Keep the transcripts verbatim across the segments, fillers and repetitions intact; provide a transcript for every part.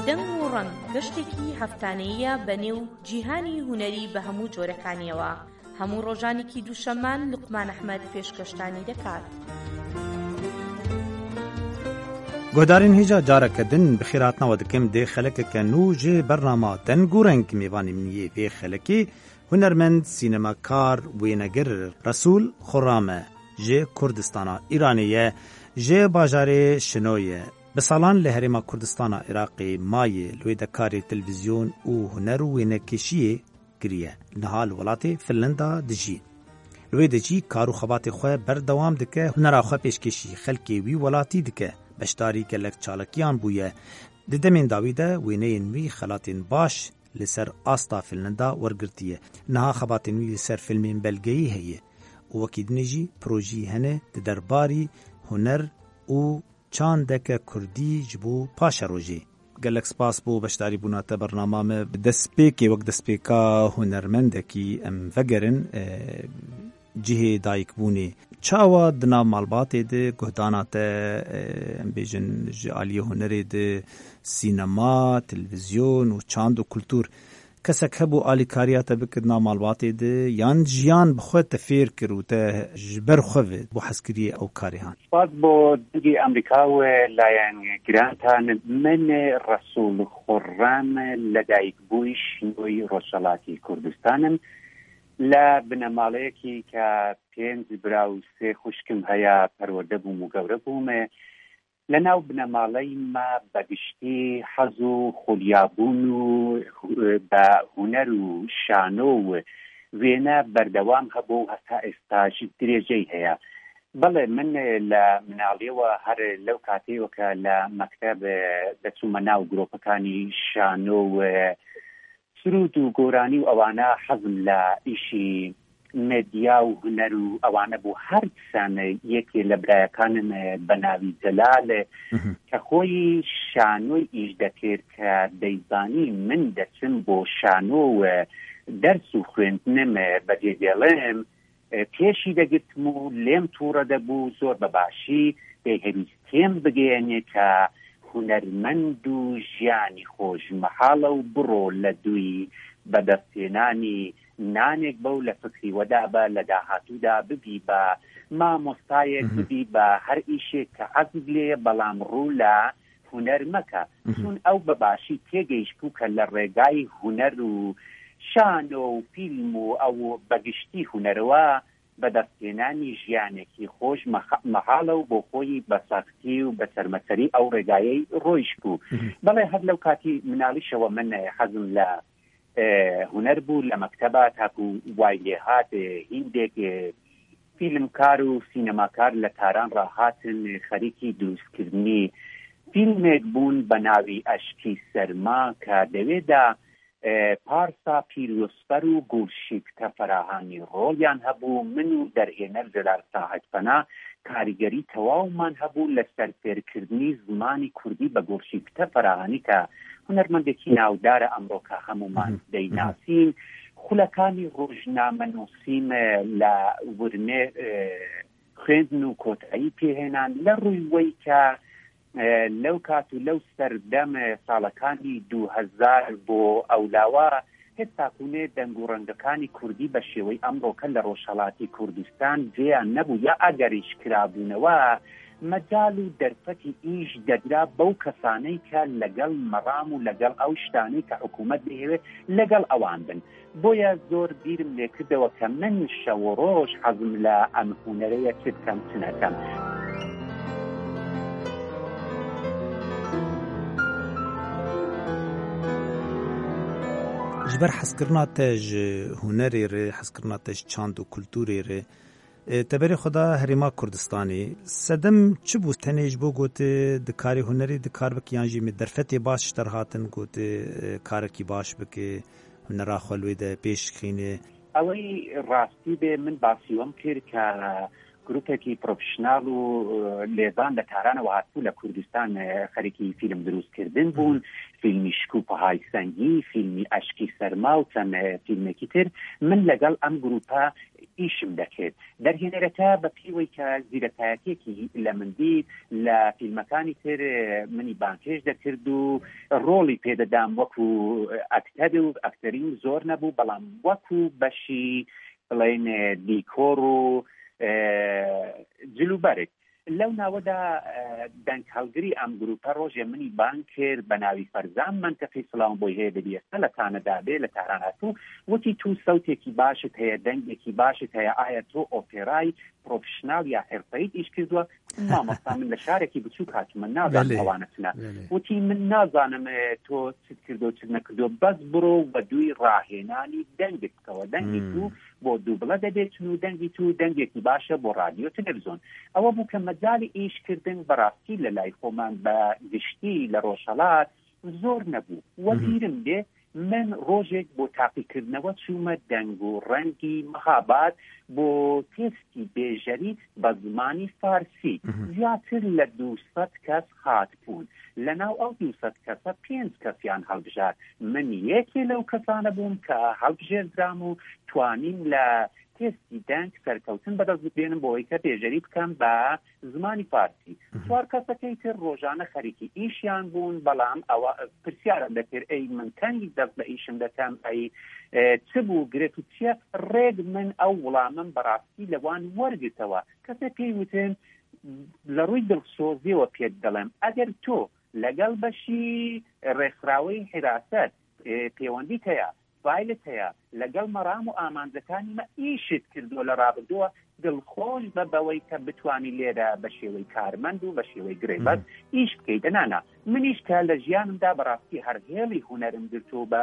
دەنگ و ڕەنگ، گەشتێکی هەفتانەییە بە نێو جیهانی هونەری بە هەموو جۆرەکانیەوە. هەموو ڕۆژانێکی دووشەممان لوقمان ئەحمەد پێشکەشتانی دەکات. Guhdarên hêja careke din bi xêr hatina we dikim dê xelekeke nû ji bernama Deng û Reng. Mêvanê min yê vê xelekê hunermend, sînemakar, wênegir Resûl Xurram e. Ji Kurdistana Îranê ye, ji bajarê Şino ye. Bi salan li herêma Kurdistana Iraqê maye, li wê de karê televîzyon û huner û wênekêşiyê kiriye. Niha li welatê Finlanda dijî. Li wê de jî kar û xebatê xwe berdewam dike, hunera xwe pêşkêşî xelkê wî welatî dike. Beşdarî gelek çalakiyan bûye. Di demên dawî de wêneyên wî xelatên baş li ser asta Finlanda wergirtiye. Niha xebatên wî li ser fîlmên belgeyî heye û wekî dinê jî projeyî hene di derbarî huner û çandeke kurdî ji bo paşerojê. Gelek spas bo beşdarîbûna te bernama me. Bi destpêkê, wek destpêka hunermendekî em vegerin, e, cihê dayikbûnê. Çawa di nav malbatê de guhdana te, e, em bêjin ji aliyê hunerê de sînema, televîzyon û çand û kultur, kesek hebû alîkariya te bike di nav malbatê de, yan jiyan bi xwe te fêr kir û te ji ber xwe ve bo hezkiriyê ew karê han? Spas bo Dengê Amerîka û layengiranta min, Resûl Xurram, لەدایکبووی شینۆی ڕۆژهەڵاتی کوردستانم. لە بنەماڵەیەکی کە پێنج برا و سێ خوشکم هەیە، پەروەردە بووم و گەورە بووم. لە ناو بنەماڵەی ما بەگشتی حەز و خولیابوون و بە هونەر و شانۆ و وێنە بەردەوام هەبوو و هەتا ئێستاش درێژەی هەیە. بەڵێ، من لە مناڵیەوە هەر لەو کاتەوە کە لە مەکتەب دەچوومە ناو گرۆپەکانی شانۆ و سرود و گۆرانی و ئەوانە، حەزم لە ئیشی مێدیا و هونەر و ئەوانە بوو. هەر دیسانە یەکێ لە برایەکانم، بە ناوی جەلال، کە خۆی شانۆی ئیش دەکرد، کە دەیزانی من دەچم بۆ شانۆ و دەرس و خوێندنم بەجێ دێڵێم، پێشی دەگرتم و لێم تووڕە دەبوو. زۆر بە باشی دەیهەویست تێم بگەیەنێ کە هونەرمەند و ژیانی خۆش مەحاڵە و بڕۆ لە دووی بەدەستهێنانی نانێک بە و لە فکری وەدا بە، لە داهاتوودا ببی بە مامۆستایەک، ببی بە هەر ئیشێک کە عەزب لێیە، بەڵام ڕوو لە هونەر مەکە. چون ئەو بە باشی تێگەیشت بوو کە لە ڕێگای هونەر و شانۆ و فیلم و ئەو بەگشتی هونەرەوە بەدەستهێنانی ژیانێکی خۆش مەخ-، مەحاڵە و بۆ خۆی بە سەختی و بە چەرمەچەری ئەو ڕێگایەی ڕۆیشت بوو. بەڵێ، هەر لەو کاتی مناڵیشەوە من حەزم لە، ئێ، هونەر بوو. لە مەکتەبا تاکو وای لێ هات، ئێ، هیندێک، ئێ، فیلمکار و سینەماکار لە تاران ڕاهاتن، ئێ، خەریکی دروستکردنی فیلمێک بوون بە ناوی ئەشکی سەرما کە دەوێدا ئێ، پارسا پیرۆزفەر و گوڵشیفتە فەراهانی ڕۆڵیان هەبوو. من و دەرهێنەر جەلال ساعەت پەنا کاریگەری تەواومان هەبوو لە سەرفێرکردنی زمانی کوردی بە گوڵشیفتە فەراهانی کە هونەرمەندێکی ناودارە ئەمڕۆ کە هەمومان دەیناسین. خولەکانی ڕۆژنامە نووسین لە ورمێ، ئێ، خوێندن و کۆتایی پێهێنان لە ڕووی وەی کە، ئێ، لەو کات و لەو سەردەم، ئێ، ساڵەکانی دوو هەزار بۆ ئەولاوە هێشتا تاکوونێ دەنگ و ڕەنگەکانی کوردی بە شێوەی ئەمڕۆکە لە ڕۆژهەڵاتی کوردستان جێیان نەبوو یا ئەگەریش کرابوونەوە، مەجال و دەرفەتی ئیش دەدرا بەو کەسانەی کە لەگەڵ مەڕام و لەگەڵ ئەو شتانەی کە حکوومەت دەیەوێت لەگەڵ ئەوان بن. بۆیە زۆر بیرم لێکردەوە کە من شەو و ڕۆژ حەزم لە ئەم هونەرەیە چ بکەم، چ نەکەم. Ji ber hezkirina te ji hunerê re, hezkirina te ji çand û kulturê re, e, te berê xwe da herêma Kurdistanê. Sedem çi bû? Tenê ji bo gotê di karê hunerê di kar bikî yan jî me derfetê baş ji te re hatin gotê, e, karekî baş bike, hunera xwe li wê de pêş xînê. ئەوەی ڕاستی بێ، من باسی وەم کرد کە گروپێکی پرۆفشنال و، ئێ، لێزان لە تارانەوە هاتبوو لە کوردستان، ئێ، خەریکی فیلم دروستکردن بوون. فیلمی شکوپەهای سەنگی، فیلمی ئەشکی سەرما و چەند، ئێ، فیلمێکی تر. من لەگەڵ ئەم گروپە ئیشم دەکرد. دەرهێنەرەکە بە پێی وەی کە زیرەکایەتێکی لە من دیت، لە فیلمەکانی تر منی بانگهێشت دەکرد و ڕۆڵی پێدەدام وەکو ئەکتەر و ئەکتەریم زۆر نەبوو، بەڵام وەکو بەشی بڵێن دیکۆر و جلوبەرگ. لەو ناوەدا دەنگ هەڵگری ئەم گروپە ڕۆژێ منی بانگ کرد بە ناوی فەرزان منتەقی، سڵاوم بۆی هەیە، دەبی ئێستا لە کانەدا بێ، لە تاران هاتوو. وتی تو سەوتێکی باشت هەیە، دەنگێکی باشت هەیە، ئایا تۆ ئۆپێرای پرۆفشنال یا حرفەیت ئیش کردووە؟ مامۆستا، من لە شارێکی بچووک هاتوومە، نازانم ئەوانە چنە. وتی من نازانم تۆ چت کردو و چت نەکردو، بەس بڕۆ و دووی ڕاهێنانی دەنگت بکەوە، دەنگی تو بۆ دووبڵە دەبێت چون و دەنگی تو دەنگێکی باشە بۆ ڕادیۆ تەلەڤزیۆن. ئەوە بوو کە مەجالی ئیشکردن بەڕاستی لە لای خۆمان بە گشتی لە ڕۆژهەڵات زۆر نەبوو. وەبیرم دێ من ڕۆژێک بۆ تاقیکردنەوە چوومە دەنگ و ڕەنگی مەهاباد بۆ تێستی بێژەری بە زمانی فارسی. زیاتر لە دوو سەد کەس هاتبوون. لە ناو ئەو دوو سەد کەسە پێنج کەسیان هەڵبژارد. من یەکێ لەو کەسانە بووم کە هەڵبژێردرام و توانیم لە تێستی دەنگ سەرکەوتن بەدەست بێنم بۆ ئەوەی کە بێژەری بکەم بە زمانی فارسی. چوار کەسەکەی تر ڕۆژانە خەریکی ئیشیان بوون، بەڵام ئەوە پرسیارم دەکرد، ئەی من تەنگی دەست بە ئیشم دەکەم، ئەی چ بوو گرێت و چییە؟ ڕێک من ئەو وڵامم بەڕاستی لەوان وەرگرتەوە. کەسێک پێی وتم، لە ڕووی دڵسۆزیەوە پێت دەڵێم، ئەگەر تۆ لەگەڵ بەشی ڕێکخراوەی حراست پێوەندیت هەیە، فایلت هەیە، لەگەڵ مەرام و ئامانجەکانی مە ئیشت کردووە لە ڕابردووە، دڵخۆش بە بەوەی کە بتوانی لێرە بە شێوەی کارمەند و بە شێوەی گرێبەست ئیش بکەیت. ئەنانا منیش کە لە ژیانمدا بەڕاستی هەر هێڵی هونەرم گرت و بە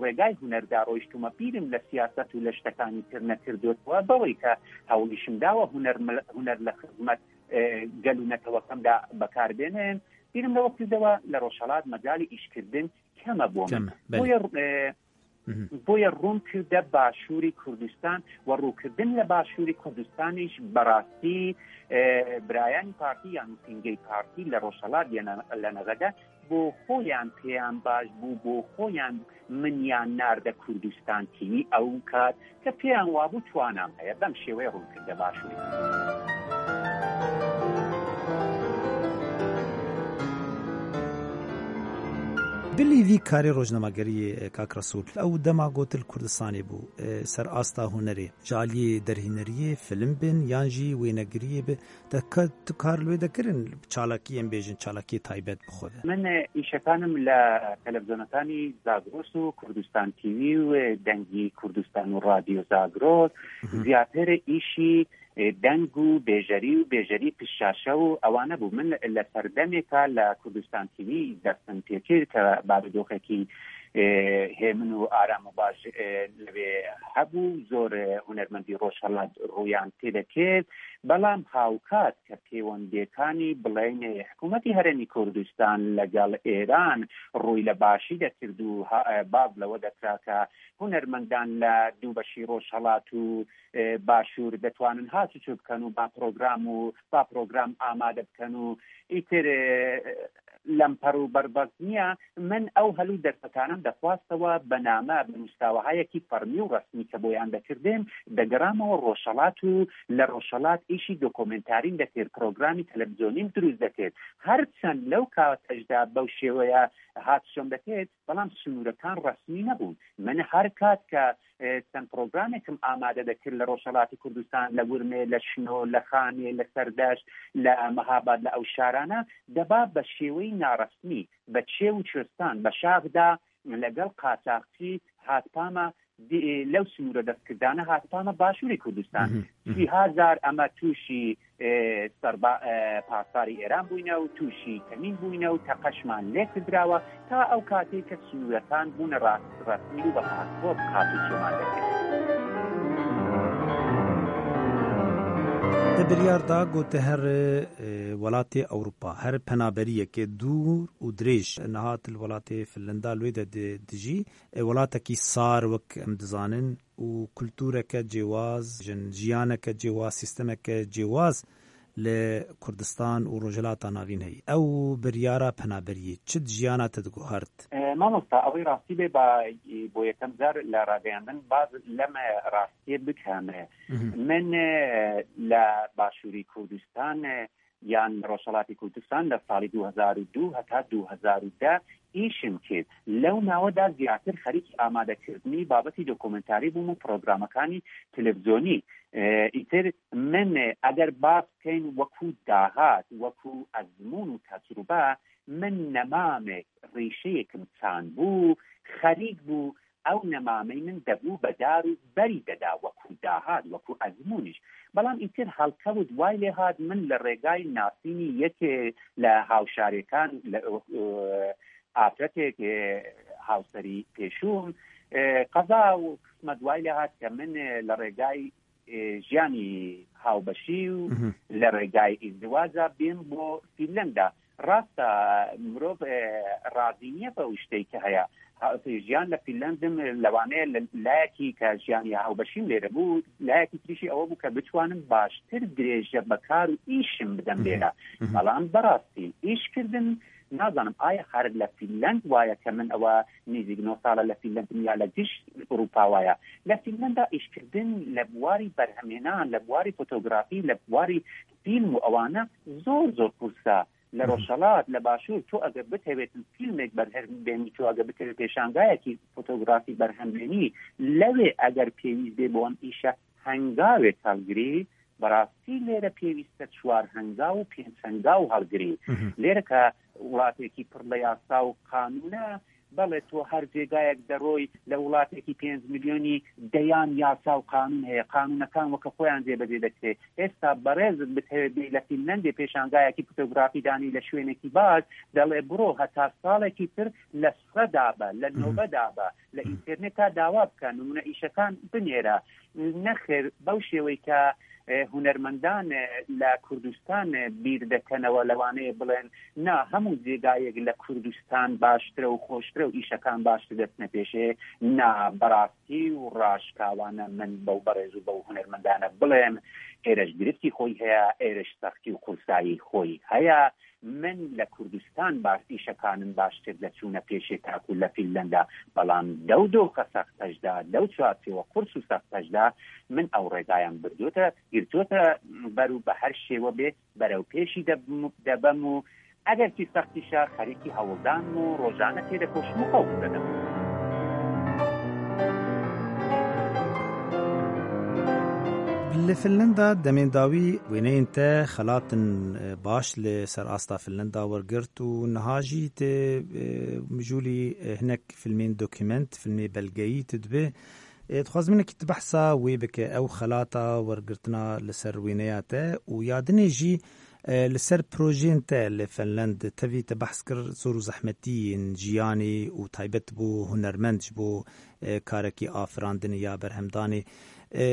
ڕێگای هونەردا ڕۆیشتومە، بیرم لە سیاسەت و لە شتەکانی تر نەکردوتەوە، بەوەی کە هەوڵیشم داوە هونەر هونەر لە خزمەت گەل و نەتەوەکەمدا بەکاربێنێن. بیرم لەوە کردەوە لە ڕۆژهەڵات مەجالی ئیشکردن کەمە بۆ من. بۆیە بۆیە ڕوون کردە باشووری کوردستان و ڕووکردن لە باشووری کوردستانیش بەڕاستی برایانی پارتی یان نووسینگەی پارتی لە ڕۆژهەڵات لە نەغەدە بۆ خۆیان پێیان باش بوو، بۆ خۆیان منیان ناردە کوردستان تیوی ئەو کات کە پێیان وابوو توانام هەیە. بەم شێوەیە ڕوون کردە باشووری. Bilî vî karê rojnamegeriyê, e, kak Resûl, ew dema got li Kurdistanê bû, e, ser asta hunerê, ji aliyê derhîneriyê, film bin yan jî wênegiriyê bi, te ka-, tu kar li wê dekirin, çalakiyên bêjin, çalakiyê taybet bi xwe de? Min, e, îşekanim li televîzyonekani Zagros û Kurdistan T V û, e, Dengî Kurdistan û Radyo Zagros Mhm. ziyatêrê îşî e, deng û bêjerî û bêjerî piştşaşe û ewane bû. Min li serdemêka li Kurdistan T V destim pê kir ke barodoxekî, e, hêmin û aram û baş, e, li wê hebû. Zor, e, hunermendî Rojhelat rûyan tê de kir. Belam hawkat ke pêwendêkanî bileynê hikûmetî Herêmî Kurdistan legel Êran rûy li başî de kir û ha-, e, baz li we dekira ke hunermendan li dû beşî Rojhelat û e, başûr دەتوانن هاتوچۆ بکەن و با پرۆگرام و با پرۆگرام ئامادە بکەن و ئیتر، e, لەمپەر و بەربەست نییە. من ئەو هەل و دەرفەتانەم دەخواستەوە بە نامە، بە نووسراوەهایەکی فەرمی و ڕەسمی کە بۆیان دەکردم، دەگەڕامەوە ڕۆژهەڵات و لە ڕۆژهەڵات ئیشی دۆکۆمێنتاریم دەکرد، پرۆگرامی تەلەڤزیۆنیم دروست دەکرد. هەرچەند لەو کاتەشدا بەو شێوەیە هاتوچۆم دەکرد، بەڵام سنوورەکان ڕەسمی نەبوون. من هەر کات کە ئێ، چەند پرۆگرامێکم ئامادە دەکرد لە ڕۆژهەڵاتی کوردستان، لە ورمێ، لە شنۆ، لە خانێ، لە سەردەشت، لە مەهاباد، لە ئەو شارانە، دەبا بە شێوەی ناڕەسمی، بە چێو و چۆستان، بە شاخدا لەگەڵ قاچاخچی هاتپامە دی-، لەو سنوورە دەستکردانە هاتپامە باشووری کوردستان. مهم، مهم. سی هەزار ئەمە تووشی ئێ، سەربا-، ئێ، پاسداری ئێران بووینە و تووشی کەمین بووینە و تەقەشمان لێ کردراوە تا ئەو کاتەی کە سنوورەکان بوونە ڕاست ڕەسمی و بە پاسپۆرت هاتوچۆمان دەکرد. Te biryar da ku te her, e, welatê Ewropa, her penaberiyeke dûr û dirêj, niha tu li welatê Finlanda li wê de di-, dijî, e, welatekî sar wek em dizanin, û kultureke cêwaz, jin jiyaneke cêwaz, sîstemeke cêwaz li Kurdistan û Rojhilata Navîn heyî. Ew biryara penaberiyê çi di jiyana te diguhert? E, mamosta, ew ê rastî bê, ba, bo yekem car li rageyandin baz lem rastiyê bikeme. Mhm. Min, e, li Başûrî Kurdistan, e, yan li Rojhelatê Kurdistan li salî du hezar û du heta du hezar û deh îşim kir. Lew nawe de ziyartir xerîkî amadekirdinî babetî dokumentarî bûm û programekanî televîzyonî. E, îtir min, e, eger bas bikeyn wekû dahat, wekû ezmûn û tecrûbe, min nemamek, rîşeyek min çand bû, xerîk bû, ew nemamey min debû bedar û berî deda wekû dahat, wekû ezmûniş. Belam îtir helkewt way lê hat min li rêgay nasînî yekê li hawşarêkan, li, e, afretêk, e, hawserî pêşûm, e, qeza û qismet way lê hat ke min, e, li rêgay, e, jiyanî hawbeşî û Mhm. li rêgay îzdiwaca bîm bo Fînlenda. Rast e, mirov, e, razî niye bi ew tiştê ke heye. Ha, jiyan li Fînlendim, e, lewane li layekî ke jiyanî hawbeşîm lêre bû, layekî tirî jî ewe bû ke bitwanim baştir dirêje bi kar û îşim bidim Mhm. lêre. Mhm. Belam berastî îş kirdin, nazanim, aya her li Fînlend waye ke min ewa nêzîk neh sal e li Fînlend im ya li giş Ewropa waye. Li Fînlenda îşkirdin li warî berhemênan, li warî fotografî, li warî fîlm û ewana zor zor qurs e. Li Hı hı. Rojhelat, li Başûr, tu eger bitewêtin fîlmek berhem bênî, tu eger bitewê pêşangayekî fotografî berhem bênî, lewê eger pêwîst bê bo em îşe hengawê helgirî, bi rastî lêre pêwîst e çar hengaw û pênc hengaw helgirî. Hı hı. Lêre ke welatekî pir li yasa û qanûn e, belê tu her cêgayek de roy li welatekî pênc milyonî deyan yasa û qanûn heye. Qanûnekan weke xwe yan cêbecê dikirê. Êsta berêz bitewê bê li Fînlendê pêşangayekî fotografî danî li şwênekî baş, delê biro heta salekî tir li sire da be, li Hı hı. nobe da be, li Hı hı. înterneta dawa bike, nimûne îşekan binêre. Nexêr, bew şêweyî ke, e, hunermendan, e, li Kurdistan, e, bîr dikenewe, lewanê bilên, na, hemû cêgayek li Kurdistan baştir e û xweştir e û îşekan baştir destine pêşê, na, berastî û raşkawane min bew berêz û bew hunermendane bilêm, êre ji girîftî xwe heye, êre ji sextî û qursayî xwe heye. Min li Kurdistan baş, îşekan in baştir de çûne pêşê taku li Fînlenda, belam dew doxe sextej de, dew çarçewe qurs û sextej de min ew rêgayan birdote, girtote ber û bi her şêwe bê berew pêşî de bim-, de bim û eger kî sextî şa xerîkî hewldan û rojane têde koşim û qewm de bim. Li Finlanda demên dawî wêneyên te xelatin, e, baş li ser asta Finlanda wergirt û niha jî tu, e, mijûlî, e, hinek filmên dokument, filmê belgeyî tu dibê. E, dixwazim hinekî tu behsa wê bike, ew xelata wergirtina li ser wêneya te û ya dinê jî, e, li ser projeyên te li Finland. Tevî te behs kir zor û zehmetiyên jiyanê û taybet bo hunermend ji bo, e, karekî afirandinê ya berhemdanê. E,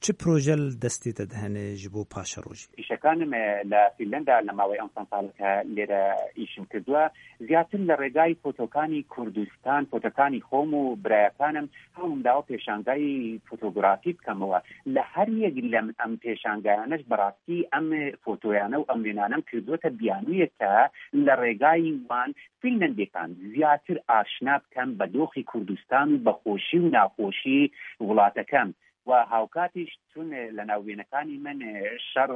çi proje li destê te de hene ji bo paşerojê? Îşekan me li Fînlanda li mawê ew çend saleke lêre îşim kiriye. Ziyartir li rêgay fotokanî Kurdistan, fotokanî xwe û birayekan im, hewlum dawa pêşangayî fotografî bikemewe. Li her yek lem em pêşangayane ji berastî em fotoyane û em wênane em kiriye te biyanûyeke li rêgayî wan Fînlendêkan ziyartir aşina bikem bi doxî Kurdistan û bi xweşî û naxweşî welatekan. Wa hawkatî ji tune li nav wênekanî min, e, şer,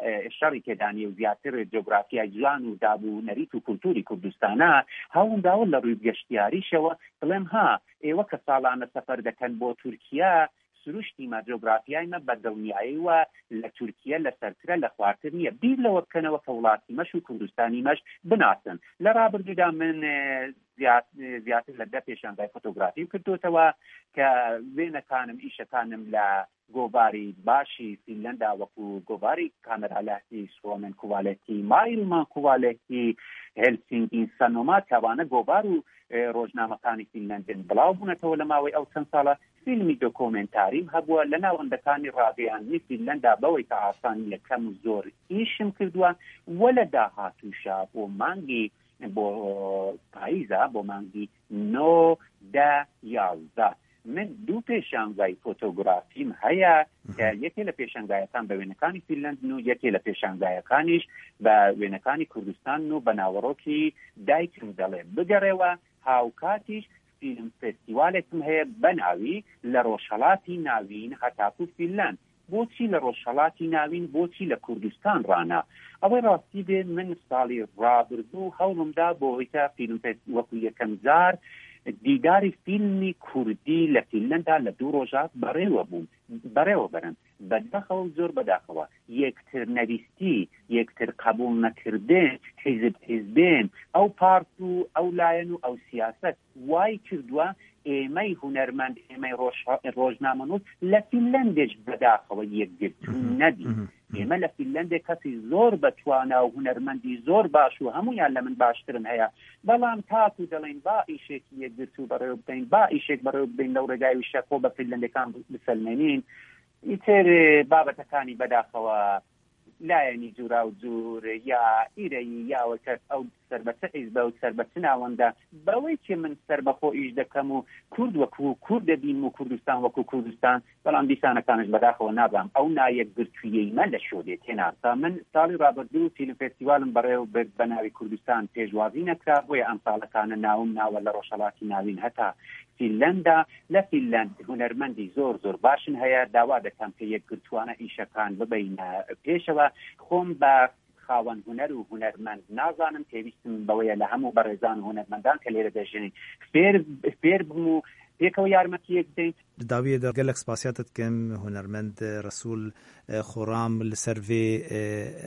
e, şerî têdanî û ziyartir cografyayê ciwan û dab û nerît û kulturî Kurdistana, hewlum dawa li rûy geştiyarî şewe, bilêm ha, ê weke salane sefer deken bo Tirkiye, siruştî me, cografyayê me bi dilniyayî we li Tirkiye li sertir e, li xwartir niye. Bîr li we bikene weke welatî me ji û Kurdistanî me ji binasin. Li rabirdû de min, e, ziyat-, e, ziyartir li deh pêşangayê fotografî kirdote we ke wênekan im, îşekan im li govarî başî Fînlanda wekû govarî Kamera Lehti, Suomen Kuvalehti, Maailman Kuvalehti, Helsingin Sanomat, hewane govar û, e, rojnamekanî Fînlendin bilav bûnetewe li mawê ew çend sala. Fîlmî dokumentarî hebûye li nawendekanî ragihandinê Fînlanda, beweyke asanî ye, kem û zor îşim kirdiye. We li dahatû şa bo mangî, bo payîza, bo mangî nod, deh, yazdeh. من دوو پێشانگای فۆتۆگرافیم هەیە کە یەکێ لە پێشانگایەکان بە وێنەکانی فینلەندن و یەکێ لە پێشانگایەکانیش بە وێنەکانی کوردستان و بە ناوەڕۆکی دایکم دەڵێ بگەڕێوە. هاوکاتیش فیلم فێستیوالێکم هەیە بە ناوی لە ڕۆژهەڵاتی ناوین هەتاکو فینلەند. بۆچی لە ڕۆژهەڵاتی ناوین، بۆچی لە کوردستان ڕانا؟ ئەوەی ڕاستی بێ، من ساڵی ڕابردوو هەوڵمدا بۆ ئەوەی کە فیلم فێست-، وەکو یەکەم جار دیداری فیلمی کوردی لە فینلەندا لە دوو ڕۆژە بەڕێوە بووم، بەڕێوە بەرم. بەداخەوە و زۆر بەداخەوە، یەکتر نەویستی، یەکتر قبول نەکردن، حیزب حیزبێن، ئەو پارت و ئەو لایەن و ئەو سیاسەت وای کردووە ئێمەی هونەرمەند، ئێمەی ڕۆژ-، ڕۆژنامەنووس لە فینلەندێش بەداخەوە یەکگرتوو نەبی. ئێمە لە فینلەندێ کەسی زۆر بە توانا و هونەرمەندی زۆر باش و هەمویان لە من باشترن هەیە، بەڵام تاکو دەڵێن با ئیشێکی یەکگرتوو بەڕێوە بدەین، با ئیشێک بەڕێوە بدەین لەو ڕێگای وشە خۆ بە فینلەندەکان بسەلمێنین، ئیتر بابەتەکانی بەداخەوە لایەنی جوورا و جوور یا ئیرەیی یا وەکەس ئەو سەربەچە حیزبە و سەربەچە ناوەندە، بەوەی کێ من سەربەخۆ ئیش دەکەم و کورد وەکو کورد دەبینم و کوردستان وەکو کوردستان، بەڵام دیسانەکانش بەداخەوە نابام ئەو نایەکگرتوویەی مە لە شۆ دێ تێناسا. من ساڵی ڕابردوو فیلم فێستیوالم بەڕێوە برد بە ناوی کوردستان، پێشوازی نەکرا، بۆیە ئەم ساڵەکانە ناوم ناوە لە ڕۆژهەڵاتی ناوین هەتا فینلەندا. لە فینلەند هونەرمەندی زۆر زۆر باشن هەیە، داوا دەکەم کە یەکگرتووانە ئیشەکان ببەینە پێشەوە. خۆم بە خاوەن هونەر و هونەرمەند نازانم، پێویستم بەوەیە لە هەموو بەڕێزان و هونەرمەندان کە لێرە دەژین فێر، فێر بم و پێکەوە یارمەتی یەک بدەین. Di dawiyê de gelek spasiya te dikim, hunermend Resûl, e, Xoram li ser vê, e,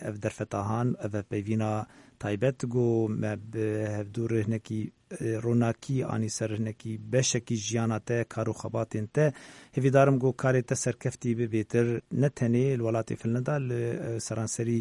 ev derfeta han, ev hevpeyvîna taybet, ku me bi hevdû re hinekî, e, ronakî anî ser hinekî beşekî jiyana te, kar û xebatên te. Hêvîdar im ku karê te serkeftî be bêtir, ne tenê li welatê Finlanda, li, e, seranserî,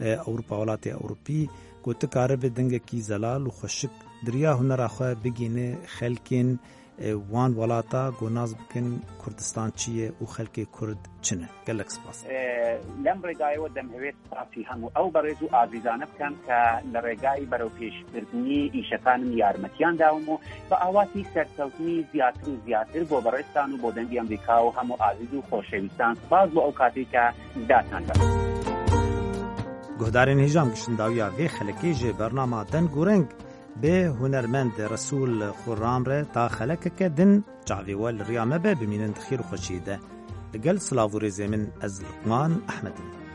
e, Ewropa, welatê Ewropî, ku tu karibe dengekî zelal û xweşik di riya hunera xwe bigihîne xelkên, e, wan welata, ku nas bikin Kurdistan çi ye û xelkê Kurd çi ne. Gelek spas. E, لەم ڕێگایەوە دەمهەوێت سپاسی هەموو ئەو بەڕێز و ئازیزانە بکەم کە لە ڕێگای بەرەوپێشبردنی ئیشەکانم یارمەتیان داوم و بە ئاواتی سەرکەوتنی زیاتر و زیاتر بۆ بەڕێزتان و بۆ دەنگی ئەمریکا و هەموو ئازیز و خۆشەویستان سپاس بۆ ئەو کاتێک کە داتان بە. Guhdarên hêja, em giştin dawiya vê xelekê ji bernama Deng û Reng bi hunermend Resûl Xurram re ta xelekeke din çavê we li riya me be, bimînin di xêr û xweşiyê de. Li gel silav û rêzê min ez Luqman Ehmed im.